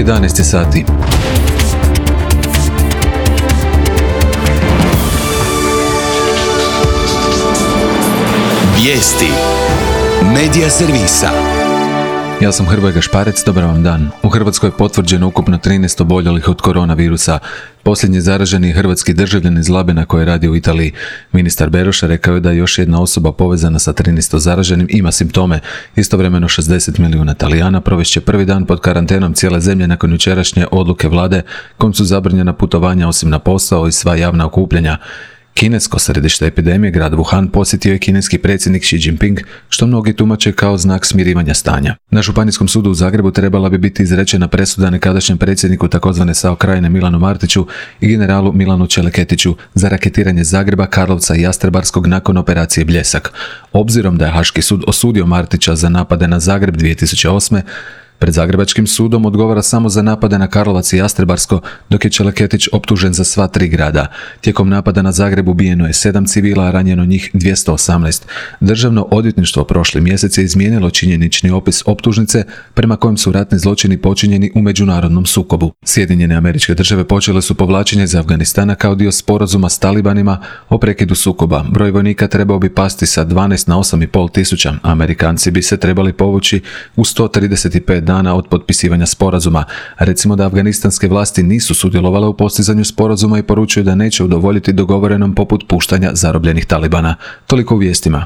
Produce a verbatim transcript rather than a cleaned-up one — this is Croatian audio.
jedanaest je sati. Vijesti Medija servisa. Ja sam Hrvoje Gašparec, dobar vam dan. U Hrvatskoj je potvrđeno ukupno trinaest oboljelih od koronavirusa. Posljednji zaraženi je hrvatski državljanin iz Labina koji radi u Italiji. Ministar Beroša rekao je da još jedna osoba povezana sa trinaest zaraženim ima simptome. Istovremeno šezdeset milijuna Talijana provest će prvi dan pod karantenom cijele zemlje nakon jučerašnje odluke vlade kojom su zabranjena putovanja osim na posao i sva javna okupljanja. Kinesko središte epidemije, grad Wuhan, posjetio je kineski predsjednik Xi Jinping, što mnogi tumače kao znak smirivanja stanja. Na Županijskom sudu u Zagrebu trebala bi biti izrečena presuda nekadašnjem predsjedniku tzv. S A O Krajine Milanu Martiću i generalu Milanu Čeleketiću za raketiranje Zagreba, Karlovca i Jastrebarskog nakon operacije Bljesak. Obzirom da je Haški sud osudio Martića za napade na Zagreb dvije tisuće osme, pred Zagrebačkim sudom odgovara samo za napade na Karlovac i Jastrebarsko, dok je Čeleketić optužen za sva tri grada. Tijekom napada na Zagreb ubijeno je sedam civila, a ranjeno njih dvjesto osamnaest. Državno odvjetništvo prošli mjesec je izmijenilo činjenični opis optužnice prema kojem su ratni zločini počinjeni u međunarodnom sukobu. Sjedinjene Američke Države počele su povlačenje iz Afganistana kao dio sporazuma s talibanima o prekidu sukoba. Broj vojnika trebao bi pasti sa dvanaest na osam i pol tisuća. Amerikanci bi se trebali povući u sto trideset pet dana od potpisivanja sporazuma. Recimo da afganistanske vlasti nisu sudjelovale u postizanju sporazuma i poručuju da neće udovoljiti dogovorenom poput puštanja zarobljenih talibana. Toliko u vijestima.